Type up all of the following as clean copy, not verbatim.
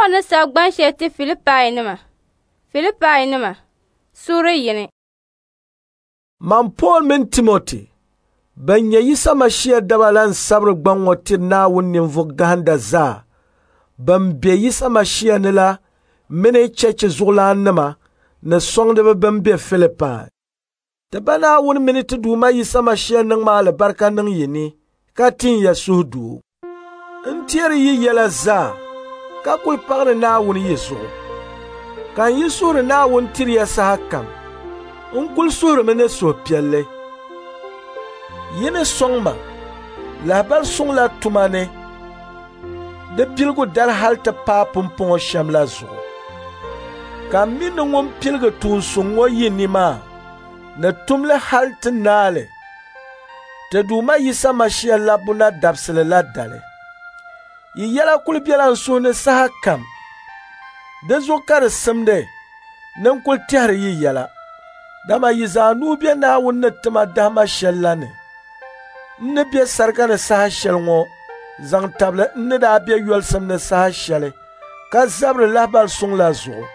Pool ni sabi gban shɛli ti Filipainima. Filipainima, suuri 1. Man Pool mini Timoti, ban nyɛ Yisa Mashia daba la n-sabiri gbaŋ ŋɔ tiri Naawuni ninvuɣ gahinda zaa ban be Yisa Mashia ni la mini cheechi zuɣulaannima ni sɔŋdiba bɛn be Filipai. Ti Ba Naawuni mini ti Duuma Yisa Mashia niŋmi alibarika niŋ yi ni ka tin ya suhudoo. N teeri yi yɛla zaa ka kul paɣiri Naawuni yi zuɣu. Ka n yi suhiri Naawuni tiri ya sahakam, n kul suhirimi ni suhupiɛlli. Yi ni sɔŋ ma lahibali suŋ la tuma ni di piligu dali hal ti paai pumpɔŋɔ shɛm la zuɣu. Ka m mi ni ŋun piligi tuun suŋ ŋɔ yi ni maa ni tum li hal ti naai li ti Duuma Yisa Mashia labbu na dabisili la dali. Yi yɛla kul bela n suhu ni sahakam. Di zuɣu ka di simdi ni n kul tɛhiri yi yɛla, dama yi zaa nuu be Naawuni ni ti ma dahima shɛl la ni. N ni be sarika ni saha shɛli ŋɔ zaŋ tabili n ni daa be yolisim ni saha shɛli ka zabiri lahibali suŋ la zuɣu,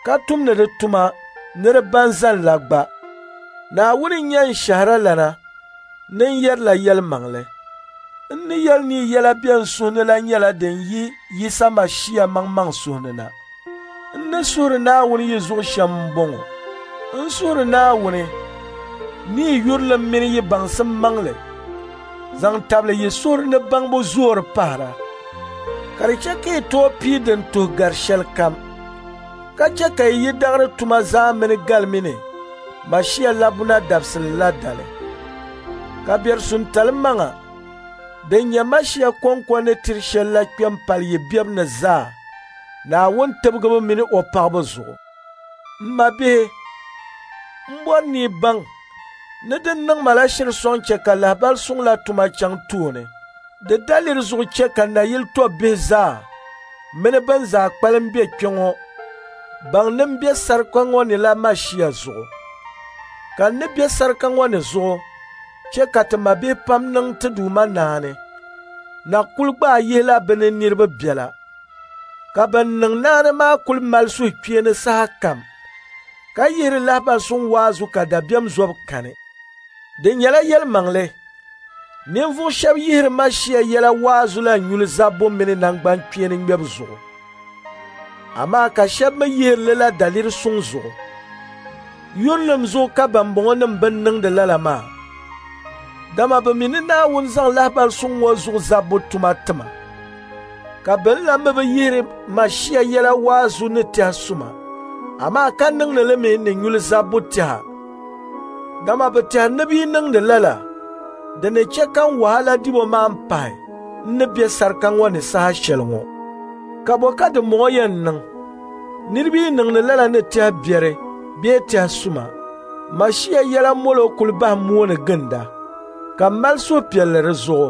ka tumdi di tuma ni di ba n-zani la gba. Naawuni n-nyɛ n shɛhiralana ni n yɛrila yɛlimaŋli. N ni yɛli ni yi yɛla be n suhu ni la nyɛla din yi Yisa Mashia maŋmaŋ suhu ni na. N ni suhiri Naawuni yi zuɣu shɛm m-bɔŋɔ: n suhiri Naawuni ni yi yurilim mini yi baŋsim maŋli zaŋ tabili yi suhuri ni baŋbu zoori pahira, ka di chɛ ka yi tooi pii din tuhi gari shɛlikam, ka chɛ ka yi yi daɣiri tuma zaa mini galimi ni Mashia labbuna dabisili la dali. Ka biɛrisuntali maŋa din nyɛ Mashia kɔŋko ni tiri shɛl la kpe m-pali yi bebu ni zaa Naawuni tibigibu mini o paɣibu zuɣu. M mabihi, m bɔri ni yi baŋ ni din niŋ ma la shiri sɔŋ chɛ ka lahibali suŋ la tuma chaŋ tooni. Di daliri zuɣu chɛ ka nayili tɔbbihi zaa mini bɛn zaa kpalim be kpe ŋɔ baŋ ni m be sarika ŋɔ ni la Mashia zuɣu. Ka n ni be sarika ŋɔ ni zuɣu chɛ ka ti mabihi pam niŋ ti Duuma naani, na kul gbaai yihila bɛ ni niriba biɛla. Ka bɛn niŋ naani maa kul mali suhukpeeni sahakam, ka yihiri lahibali suŋ waazu ka dabiɛm zɔbu kani. Di nyɛla yɛlimaŋli, ninvuɣ shɛb yihiri Mashia yɛla waazu la nyuli zabbu mini naŋgbankpeeni ŋmɛbu zuɣu, amaa ka shɛb mi yihiri li la daliri suŋ zuɣu. Yurilim zuɣu ka bɛmbɔŋɔnim bɛn niŋdi lala maa, dama bɛ mi ni Naawuni zaŋ lahibali suŋ ŋɔ zuɣu zabbu tuma ti ma. Ka bɛn la mi bi yihiri Mashia yɛla waazu ni tɛha suma, amaa ka niŋdi li mi ni nyuli zabbu tɛha, dama bɛ tɛhi ni bɛ yi niŋdi lala, di ni chɛ ka n wahala dibu maa m-pahi n ni be sarika ŋɔ ni saha shɛli ŋɔ. Ka bɔ ka dimbɔŋɔ yɛn niŋ? Niriba yi niŋdi lala ni tɛha biɛri bee tɛha suma, Mashia yɛla molo kul bahi mooni ginda, ka m mali suhupiɛlli di zuɣu.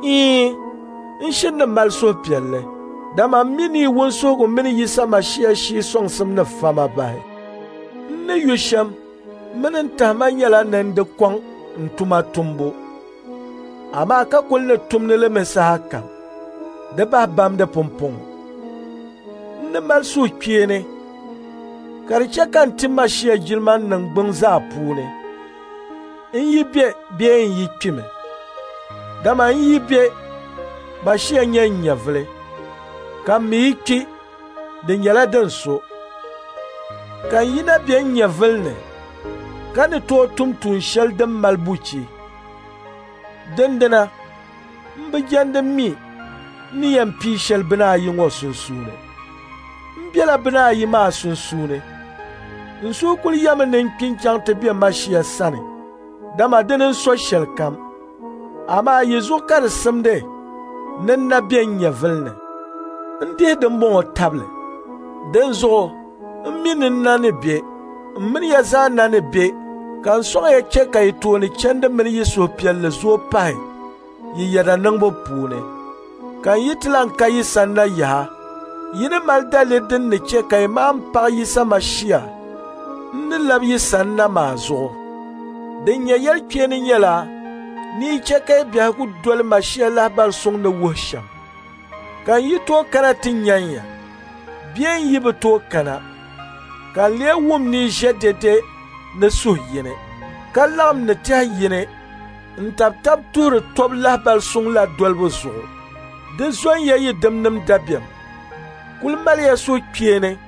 Iin, n shiri ni mali suhupiɛlli, dama m mi ni yi wunsuhigu mini Yisa Mashia shii sɔŋsim ni fa ma bahi. N ni yu shɛm mini n tahima nyɛla ni n di kɔŋ n tuma tumbu, amaa ka kul ni tumdi li mi sahakam, di bahi bamdi pumpɔŋɔ. N ni mali suhukpeeni ka di chɛ ka n ti Mashia jilima n niŋgbuŋ zaa puuni, n yi be bee n yi kpimi. Dama n yi be, Mashia nyɛ n nyɛvili, ka m mi yi kpi, di nyɛla din so. Ka n yi na be n nyɛvili ni, ka ni tooi tum tuun shɛli din mali buchi, dindina m bi jɛndi mi n ni yɛn pii shɛli bina ayi ŋɔ sunsuuni. N bela bina ayi maa sunsuuni. N suhu kul yɛmi ni n kpi n-chaŋ ti be Mashia sani, dama dini n-so shɛlikam. Amaa yi zuɣu ka di simdi ni n na be n nyɛvili ni. N dihi dimbɔŋɔ tabili. Dinzuɣu m mi ni n na ni be, m mini ya zaa na ni be, ka n sɔŋ ya chɛ ka yi tooni chandi mini yi suhupiɛlli zooi pahi yi yɛda niŋbu puuni. Ka n yi ti lan ka yi sanna yaha, yi ni mali daliri din ni chɛ ka yi maan paɣi Yisa Mashia n ni labi yi sanna maa zuɣu. Din nyɛ yɛlikpeeni nyɛla ni yi chɛ ka yi biɛhigu doli Mashia lahibali suŋ ni wuhi shɛm. Ka n yi tooi kana ti nyan ya, Bee n yi bi tooi kana, ka n lee wum ni yi ʒe dɛde ni suhu yini, ka laɣim ni tɛhi yini n-tabi tab tuhiri tɔbu lahibal suŋ la dolibu zuɣu. Di zɔnya yi dimnim dabiɛm. Kul maliya suhukpeeni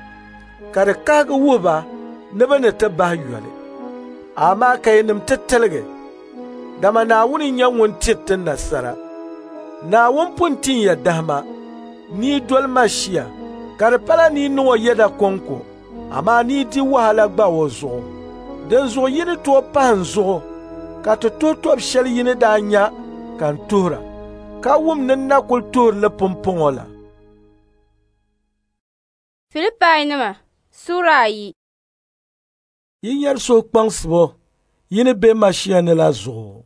ka di kahigi wuhi ba ni bɛ ni ti bahi yoli. Amaa ka yinim ti tiligi, dama Naawuni n-nyɛ ŋun tiri ti nasara. Naawuni pun tin ya dahima ni yi doli Mashia, ka di pala ni yi niŋ o yɛda kɔŋko, amaa ni yi di wahala gba o zuɣu. Dinzuɣu yi ni tooi pahi n zuɣu ka ti tuhi tɔb shɛli yi ni daa nya ka n tuhira, ka wum ni n na kul tuhiri li pumpɔŋɔ la. Filipainima Sura 2. Yi nyari suhukpaŋsibo yi ni be Mashia ni la zuɣu.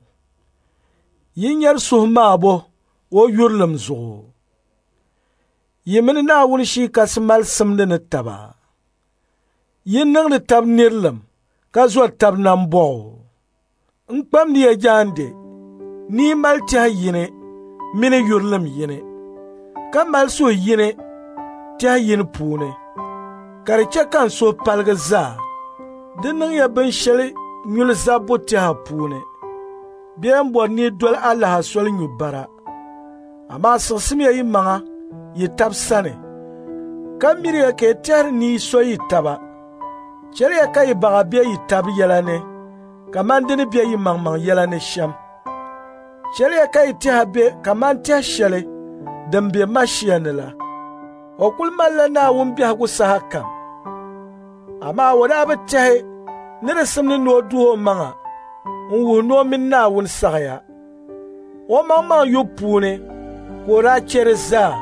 Yi nyari suhumaabo o yurilim zuɣu. Yi mini Naawuni Shii Kasi mali simdi ni taba. Yi niŋdi tab nirilim ka zɔri tab nambɔɣu. N kpamdi ya jaande ni yi mali tɛhi yini mini yurilim yini, ka mali suhu yini tɛhi yini puuni, ka di chɛ ka n suhu paligi zaa. Di niŋya binshɛli nyuli zabbu tɛha puuni, bee m-bɔri ni yi doli alaha soli nyu bara. Amaa siɣisimiya yi maŋa yi tab sani, ka miriya ka yi tɛhiri ni yi so yi taba. Chɛliya ka yi baɣa be yi tab yɛla ni kaman di ni be yi maŋmaŋ yɛla ni shɛm. Chɛliya ka yi tɛha be kaman tɛhi shɛli din be Mashia ni la. O kul malila Naawuni biɛhigu saha kam. Amaa o daa bi tɛhi ni di simdi ni o duh o maŋa n-wuhi ni o mini Naawuni saɣiya. O maŋmaŋ yubu puuni ka o daa chɛ di zaa,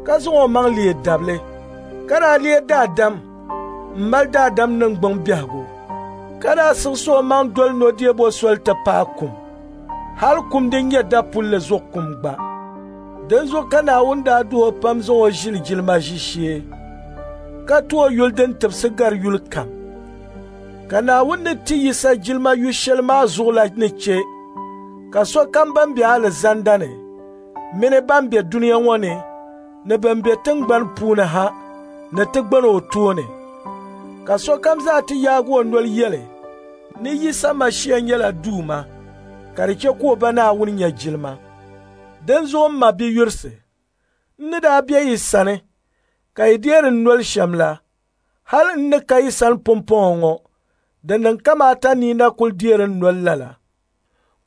ka zaŋ o maŋ leei dabili, ka daa leei daadam m-mali daadam niŋgbuŋ biɛhigu, ka daa siɣisi o maŋ doli nɔdeebo soli ti paai kum, hali kum din nyɛ dapulli zuɣu kum gba. Dinzuɣu ka Naawuni daa duh o pam zaŋ o ʒili jilima ʒiishee, ka ti o yuli din tibisi gari yuli kam. Ka Naawuni ni ti Yisa jilima yu shɛli maa zuɣu la ni chɛ ka sokam ban be alizanda ni mini ban be dunia ŋɔ ni ni ban be tiŋgbani puuni ha ni ti gbani o tooni. Ka sokam zaa ti yaagi o noli yɛli ni Yisa Mashia nyɛla Duuma, ka di chɛ ka o Ba Naawuni nya jilima. Dinzuɣu m ma biyurisi, n ni daa be yi sani ka yi deeri n noli shɛm la, hali n ni ka yi sani pumpɔŋɔ ŋɔ, di niŋ kamaata ni yi na kul deeri n noli lala.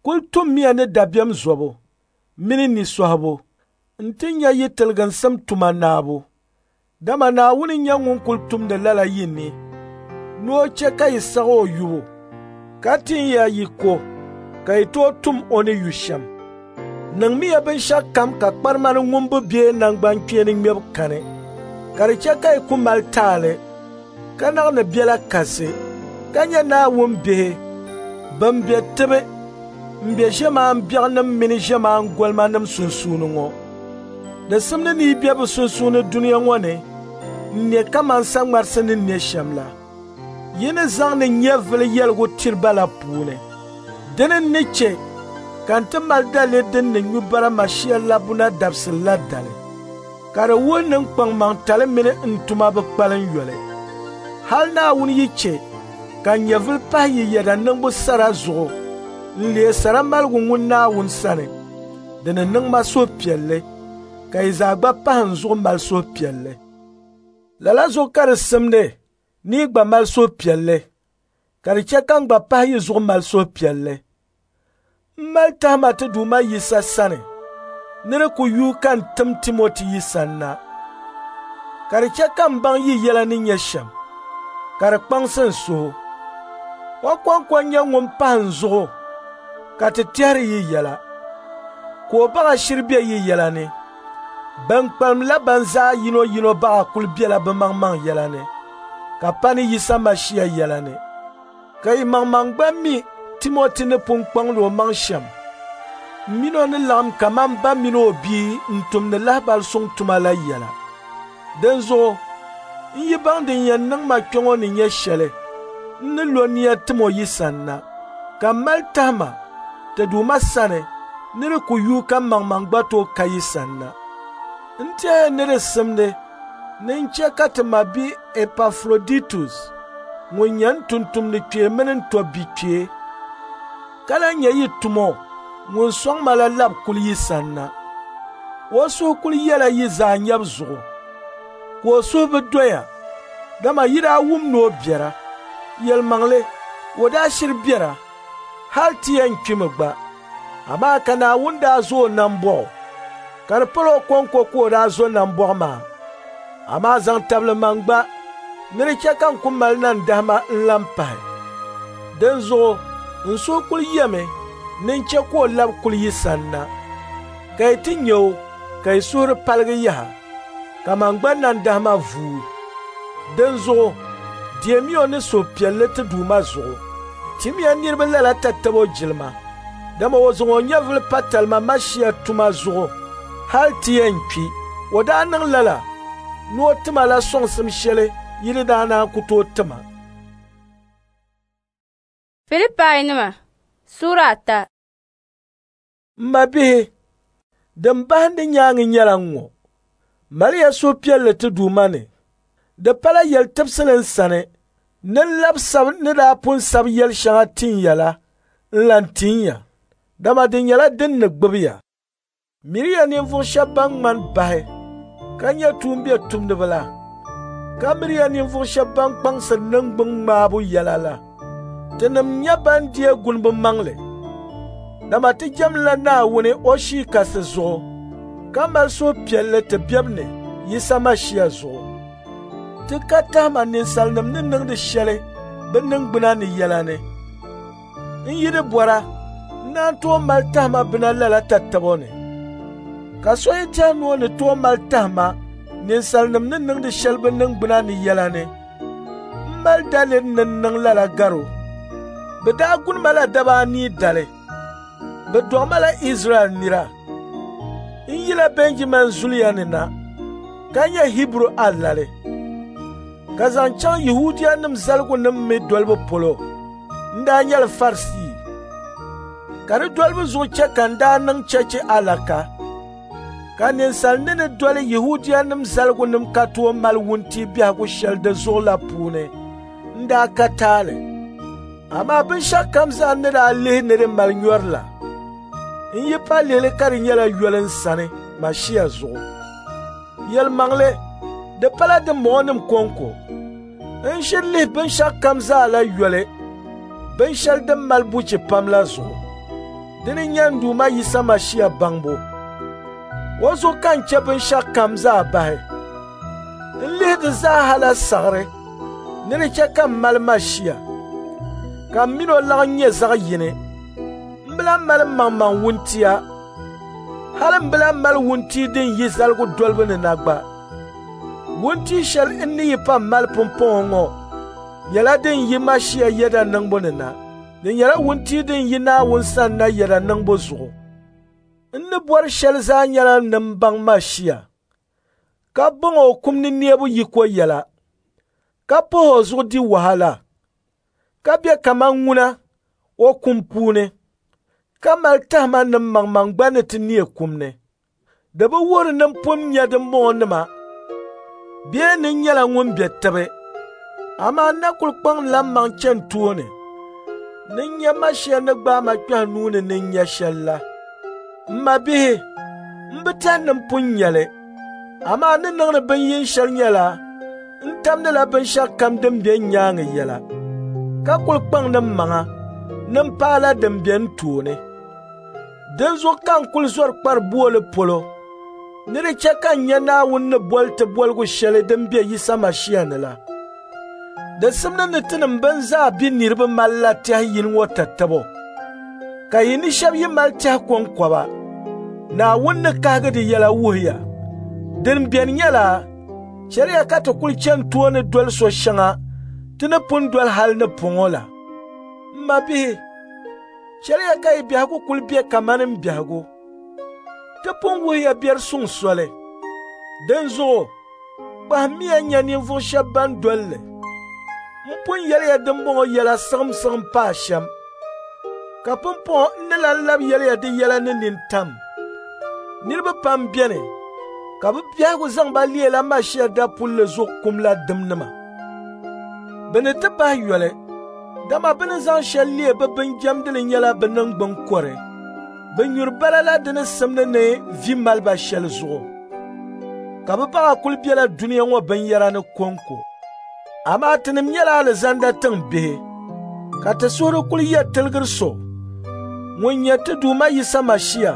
Kul tummiya ni dabiɛm zɔbu mini ni sɔhibu nti nya yi tiliginsim tuma naabu. Dama Naawuni n-nyɛ ŋun kul tumdi lala yi ni, ni o chɛ ka yi saɣ o yubu, ka tin ya yiko ka yi tooi tum o ni yu shɛm. Niŋmiya binshɛɣukam ka kparima ni ŋumbu bee naŋgbankpeeni ŋmɛbu kani, ka di chɛ ka yi ku mali taali, ka naɣ ni bela kasi, ka nyɛ Naawuni bihi bɛn be tibi m-be ʒiɛmaan biɛɣunim mini ʒiɛmaan golimanim sunsuuni ŋɔ. Di simdi ni yi be bɛ sunsuuni dunia ŋɔ ni n-ne kaman saŋmarisi ni ne shɛm la. Yi ni zaŋdi nyɛvili yɛligu tiri ba la puuni. Dini n-ni chɛ ka n ti mali daliri din ni nyu bara Mashia labbuna dabisili la dali, ka di wuhi ni n kpaŋmaŋtali mini n tuma bi kpalim yoli. Hal Naawuni yi chɛ ka n nyɛvili pahi yi yɛda niŋbu sara zuɣu n-leei sara maligu ŋun Naawuni sani, di ni niŋ ma suhupiɛlli, ka yi zaa gba pahi n zuɣu mali suhupiɛlli. Lala zuɣu ka di simdi ni yi gba mali suhupiɛlli, ka di chɛ ka n gba pahi yi zuɣu mali suhupiɛlli. M mali tahima ti Duuma Yisa sani ni di ku yuui ka n tim Timoti yi sanna, ka di chɛ ka m baŋ yi yɛla ni nyɛ shɛm, ka di kpaŋsi n suhu. O kɔŋko n-nyɛ ŋun pahi n zuɣu ka ti tɛhiri yi yɛla, ka o baɣa shiri be yi yɛla ni. Bɛn kpalim la ban zaa yino yino baɣa kul bela bɛ maŋmaŋ yɛla ni, ka pa ni Yisa Mashia yɛla ni. Ka yi maŋmaŋ gba mi Timoti ni pun kpaŋdi o maŋ shɛm m min o ni laɣim kaman ba mini o bia n-tumdi lahibal suŋ tuma la yɛla. Dinzuɣu n yi baŋ din yɛn niŋ ma kpɛŋɔ ni nyɛ shɛli, n ni lo nia tim o yi sanna, ka m mali tahima ti Duuma sani ni di ku yuui ka m maŋmaŋ gba tooi ka yi sanna. N tɛhiya ni di simdi Ni n chɛ ka ti mabia Epafroditus ŋun nyɛ n tumtumdi kpee mini n tɔbbi kpee, ka lan nyɛ yi tumo ŋun sɔŋ ma la lab kuli yi sanna. O suhu kul yɛla yi zaa nyabu zuɣu, ka o suhu bi doya, dama yi daa wum ni o biɛra. Yɛlimaŋli, o daa shiri biɛra, hal ti yɛn kpimi gba. Amaa ka Naawuni daa zo o nambɔɣu, ka di pala o kɔŋko ka o daa zo nambɔɣu maa, amaa zaŋ tabili man gba ni di chɛ ka n ku mali nandahima n-lan pahi. Dinzuɣu n suhu kul yɛmi ni n chɛ ka o lab kuli yi sanna, ka yi ti nya o ka yi suhuri paligi yaha, ka man gba nandahima vuui. Dinzuɣu deemiya o ni suhupiɛlli ti Duuma zuɣu. Timiya niriba lala tatabo jilima, dama o zaŋ o nyɛvili pa talima Mashia tuma zuɣu hal ti yɛn kpi. O daa niŋ lala ni o tima la sɔŋsim shɛli yi ni daa naan ku tooi tima. Filipainima Sura 3. M mabihi, din bahindi nyaaŋa nyɛla ŋ-ŋɔ: maliya suhupiɛlli ti Duuma ni. Di pala yɛl tibisili n sani ni n lab sabi ni daa pun sabi yɛl shɛŋa tin ya la n-lan tin ya, dama di nyɛla din ni gbibi ya. Miriya ninvuɣ shɛb ban ŋmani bahi ka nyɛ tuumbiɛtumdiba la, ka miriya ninvuɣ shɛb ban kpaŋsiri niŋgbuŋ ŋmaabu yɛla la. Tinim nyɛ ban deei gunibu maŋli, dama ti jɛmdila Naawuni o Shii Kasi zuɣu, ka mali suhupiɛlli ti bebu ni Yisa Mashia zuɣu. Ti ka tahima ninsalinim ni niŋdi shɛli bɛ niŋgbuna ni yɛla ni. N yi di bɔra, n naan tooi mali tahima bina lala tatabo ni. Ka so yi tɛhi ni o ni tooi mali tahima ninsalinim ni niŋdi shɛli bɛ niŋgbuna ni yɛla ni, m mali daliri ni n niŋ lala gar o. Bɛ daa guni ma la daba anii dali. Bɛ dɔɣi ma la Izraɛl nira. N yila Bɛnjamin zuliya ni na, ka nyɛ Hiburu alali. Ka zaŋ chaŋ Yɛhudianim zaligunim mi dolibu polo, n daa nyɛla Farisii. Ka di dolibu zuɣu chɛ ka n daa niŋ chechi alaka. Ka ninsal ni ni doli Yɛhudianim zaligunim ka tooi mali wuntia biɛhigu shɛli di zuɣu la puuni, n daa ka taali. Amaa binshɛɣukam zaa n ni daa lihi ni di mali nyɔri la, n yi pa lihili ka di nyɛla yoli n sani Mashia zuɣu. Yɛlimaŋli, di pala dimbɔŋɔnim kɔŋko. N ʒiri lihi binshɛɣukam zaa la yoli, binshɛli din mali buchi pam la zuɣu. Dini n-nyɛ n Duuma Yisa Mashia baŋbu. O zuɣu ka n chɛ binshɛɣukam zaa bahi. N lihi di zaa la saɣiri ni di chɛ ka m mali Mashia, ka m min o laɣim nyɛ zaɣ yini. M bi lan mali mmaŋmaŋ wuntia, hali m bi lan mali wuntia din yi zaligu dolibu ni na gba. Wuntia shɛli n ni yi pa mali pumpɔŋɔ ŋɔ nyɛla din yi Mashia yɛda niŋbu ni na. Di nyɛla wuntia din yi Naawuni sani na yɛda niŋbu zuɣu. N ni bɔri shɛli zaa nyɛla ni m baŋ Mashia, ka baŋ o kum ni neebu yiko yɛla, ka pahi o zuɣu di wahala, ka be kaman ŋuna o kum puuni, ka mali tahima ni mmaŋmaŋ gba ni ti neei kum ni. Di bi wuhiri ni m pun nya dimbɔŋɔnima bee ni n nyɛla ŋun be tibi, amaa n na kul kpaŋdila mmaŋ chani tooni ni n nya Mashia ni gbaai ma kpɛhi nuu ni ni n nya shɛli la. M mabihi, m bi tɛhi ni m pun nya li, amaa n ni niŋdi bin yin shɛli nyɛla n tamdila binshɛɣukam din be n nyaaŋa yɛla, ka kul kpaŋdi mmaŋa ni m paala din be n tooni. Dinzuɣu ka n kul zɔri kpari booli polo ni di chɛ ka n nya Naawuni ni boli ti boligu shɛli din be Yisa Mashia ni la. Di simdi ni tinim bɛn zaa be niriba malila tɛhi yini ŋɔ tatabo, ka yi ni shɛba yi mali tɛhi kɔŋkɔba, Naawuni ni kahigi di yɛla wuhi ya. Din beni nyɛla, chɛliya ka ti kul chani tooni doli so shɛŋa ti ni pun doli hali ni pɔŋɔ la. M mabihi, chɛliya ka yi biɛhigu kul be kamani m biɛhigu. Ti pun wuhiya biɛri suŋ soli. Dinzuɣu, kpahimmiya nya ninvuɣ shɛb ban doli li. N pun yɛliya dimbɔŋɔ yɛla siɣimsiɣim paai shɛm, ka pumpɔŋɔ n ni lan lab yɛliya di yɛla ni nintam. Niriba pam beni Ka bɛ biɛhigu zaŋ ba leela Mashia dapulli zuɣu kum la dimnima. Bɛ ni ti bahi yoli, dama bɛ ni zaŋ shɛli leei bɛ binjɛmdili nyɛla bɛ niŋgbuŋ kɔre. Bɛ nyuri bala la di ni simdi ni vi mali ba shɛli zuɣu. Ka bɛ baɣa kuli bela dunia ŋɔ binyɛra ni kɔŋko. Amaa tinim nyɛla alizanda tiŋ bihi, ka ti suhuri kuli yɛ tiligiri so ŋun nyɛ ti Duuma Yisa Mashia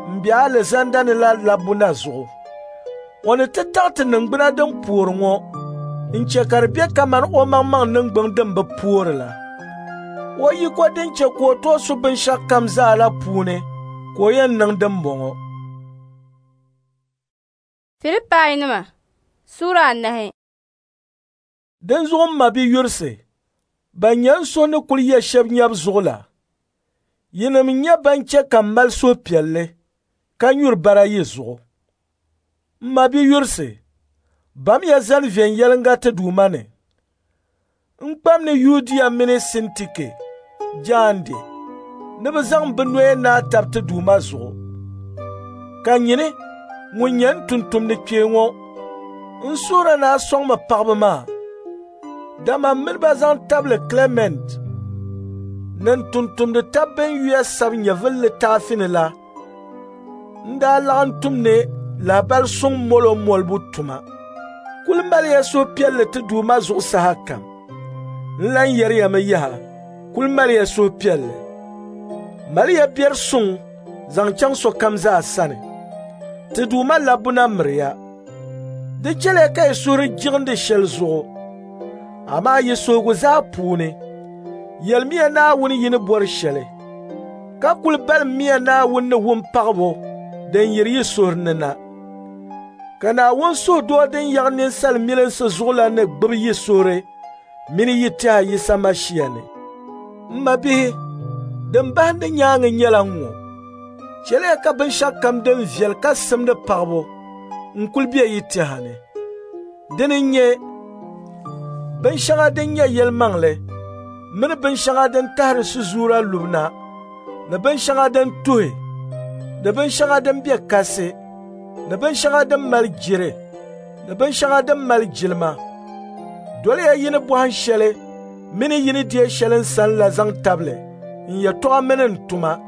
m-be alizanda ni la labbu na zuɣu. O ni ti taɣi ti niŋgbuna din poori ŋɔ n-che ka di be kaman omaŋmaŋ niŋgbuŋ din bi poori la. O yiko din che ka o tooi su binshɛɣukam zaa la puuni ka o yɛn niŋ dimbɔŋɔ. Filipainima Sura 4. Dinzuɣu m mabiyurisi, ban nyɛ n suhu ni kuli yɛ shɛb nyabu zuɣu la, yinim n-nyɛ ban che ka m mali suhupiɛlli ka nyuri bara yi zuɣu. M mabiyurisi, bamiya zani viɛnyɛliŋga ti Duuma ni. N kpam ni Yudia mini Sintike jaande ni bɛ zaŋ bɛ noya naai tab ti Duuma zuɣu. Ka nyini ŋun nyɛ n tumtumdi kpee ŋɔ, n suhuri ni a sɔŋ ma paɣiba maa, dama m mini ba zaŋ tabili Klɛmɛnt ni n tumtumdi tab bɛn yuya sabi nyɛvili litaafi ni la n daa laɣim tum ni lahibali suŋ molo molibu tuma. Kuli maliya suhupiɛlli ti Duuma zuɣu sahakam. N lan yɛriyami yaha, kuli maliya suhupiɛlli. Maliya biɛri suŋ zaŋ chaŋ sokam zaa sani. Ti Duuma labbu na miriya. Di chɛliya ka yi suhuri jiɣindi shɛli zuɣu, amaa yi suhigu zaa puuni, yɛlimiya Naawuni yi ni bɔri shɛli, ka kuli balimmiya Naawuni ni wumpaɣibo din yiri yi suhuri ni na. Ka Naawuni suhudoo din yaɣi ninsal milinsi zuɣu la ni gbibi yi suhuri mini yi tɛha Yisa Mashia ni. M mabihi, din bahindi nyaaŋa nyɛla ŋ-ŋɔ. Chɛliya ka binshɛɣukam din viɛli ka simdi paɣibu n-kuli be yi tɛha ni. Dini n-nyɛ binshɛŋa din nyɛ yɛlimaŋli mini binshɛŋa din tahiri sizuura lubu na ni binshɛŋa din tuhi ni binshɛŋa din be kasi ni binshɛŋa din mali jiri ni binshɛŋa din mali jilima. Doliya yi ni bɔhim shɛli mini yi ni deei shɛli n sani la zaŋ tabili n yɛtɔɣa mini n tuma,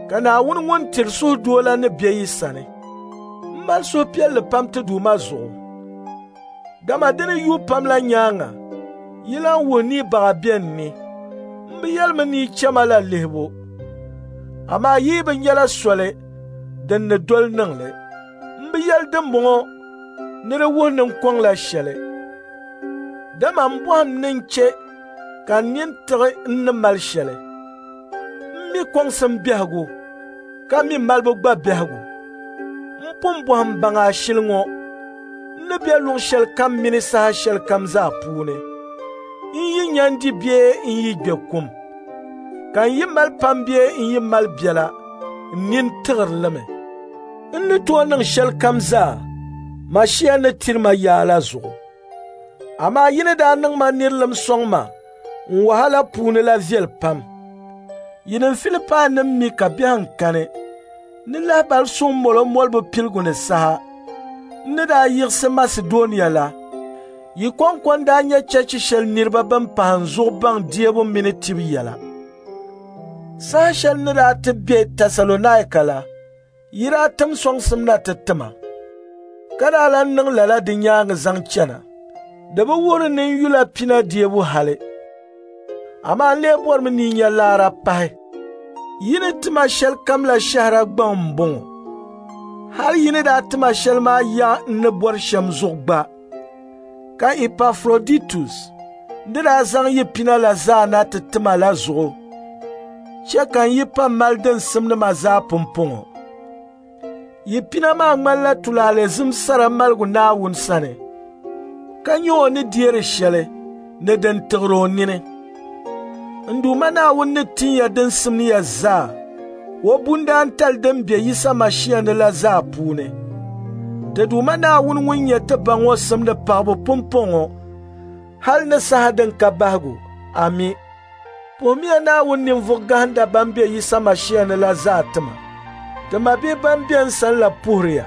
ka Naawuni ŋun tiri suhudoo la ni be yi sani. M mali suhupiɛlli pam ti Duuma zuɣu, dama di ni yuui pam la nyaaŋa yi lan wuhi ni yi baɣa be n ni. M bi yɛlimi ni yi chɛ ma la lihibu, amaa yi bi nyɛla soli din ni doli niŋ li. M bi yɛli dimbɔŋɔ ni di wuhi ni n kɔŋla shɛli, dama m bɔhim ni n chɛ ka n nini tiɣi n ni mali shɛli. M mi kɔŋsim biɛhigu ka mi malibu gba biɛhigu. M pun bɔhim baŋ ashili ŋɔ n ni be luɣ shɛlikam mini saha shɛlikam zaa puuni. N yi nya n di bee n yi gbe kum, ka n yi mali pam bee n yi mali biɛla, n nini tiɣiri li mi. N ni tooi niŋ shɛlikam zaa Mashia ni tiri ma yaa la zuɣu. Amaa yi ni daa niŋ ma nirilim sɔŋ ma n wahala puuni la viɛli pam. Yinim Filipainima mi ka biɛhiŋ kani ni lahibali suŋ molo molibu piligu ni saha, n ni daa yiɣisi Masidɔnia la, yi kɔŋko n-daa nyɛ cheechi shɛli niriba bɛn pahi n zuɣu baŋ deebu mini tibu yɛla. Saha shɛli n ni daa ti be Tɛsalɔnaika la, yi daa tim sɔŋsim na ti ti ma, ka daa lan niŋ lala di nyaaŋa zaŋ chana. Di bi wuhiri ni n yula pina deebu hali, amaa n lee bɔrimi ni yi nya laara pahi. Yi ni ti ma shɛlikam la shɛhira gbaŋ m-bɔŋɔ. Hali yi ni daa ti ma shɛli maa yaɣi n ni bɔri shɛm zuɣu gba. Ka Epafroditus ni daa zaŋ yi pina la zaa na ti ti ma la zuɣu chɛ ka n yi pa mali din simdi ma zaa pumpɔŋɔ. Yi pina maa ŋmanila tulaale zim sara maligu Naawuni sani, ka nyɛ o ni deeri shɛli ni din tiɣiri o nini. N Duuma Naawuni ni tin ya din simdi ya zaa o bundaantali din be Yisa Mashia ni la zaa puuni. Ti Duuma Naawuni ŋun nyɛ ti Ba ŋɔ simdi paɣibu pumpɔŋɔ hal ni saha din ka bahigu. Ami. Puhimiya Naawuni ninvuɣ gahinda ban be Yisa Mashia ni la zaa ti ma. Ti mabihi ban be n sani la puhiri ya.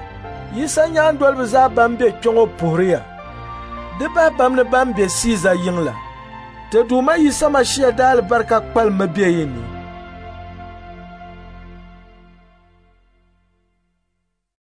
Yisa nyaandoliba zaa ban be kpe ŋɔ puhiri ya. Di bahi bamni ban be Siiza yiŋ la. Ti Duuma Yisa Mashia daalibarika kpalimmi be yi ni.